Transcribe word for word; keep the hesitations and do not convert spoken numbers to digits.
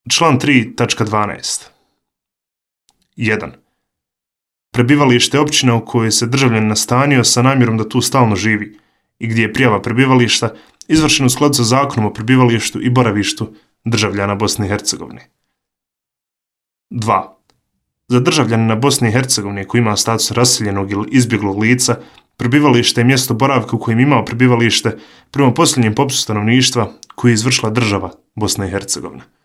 Član tri tačka dvanaest. jedan. Prebivalište je općina u kojoj se državljanin nastanio sa namjerom da tu stalno živi i gdje je prijava prebivališta izvršena u skladu sa Zakonom o prebivalištu i boravištu državljana Bosne i Hercegovine. dva. Za državljanina Bosne i Hercegovine koji ima status raseljenog ili izbjeglog lica, prebivalište je mjesto boravka u kojem imao prebivalište prema posljednjem popisu stanovništva koji je izvršila država Bosna i Hercegovina.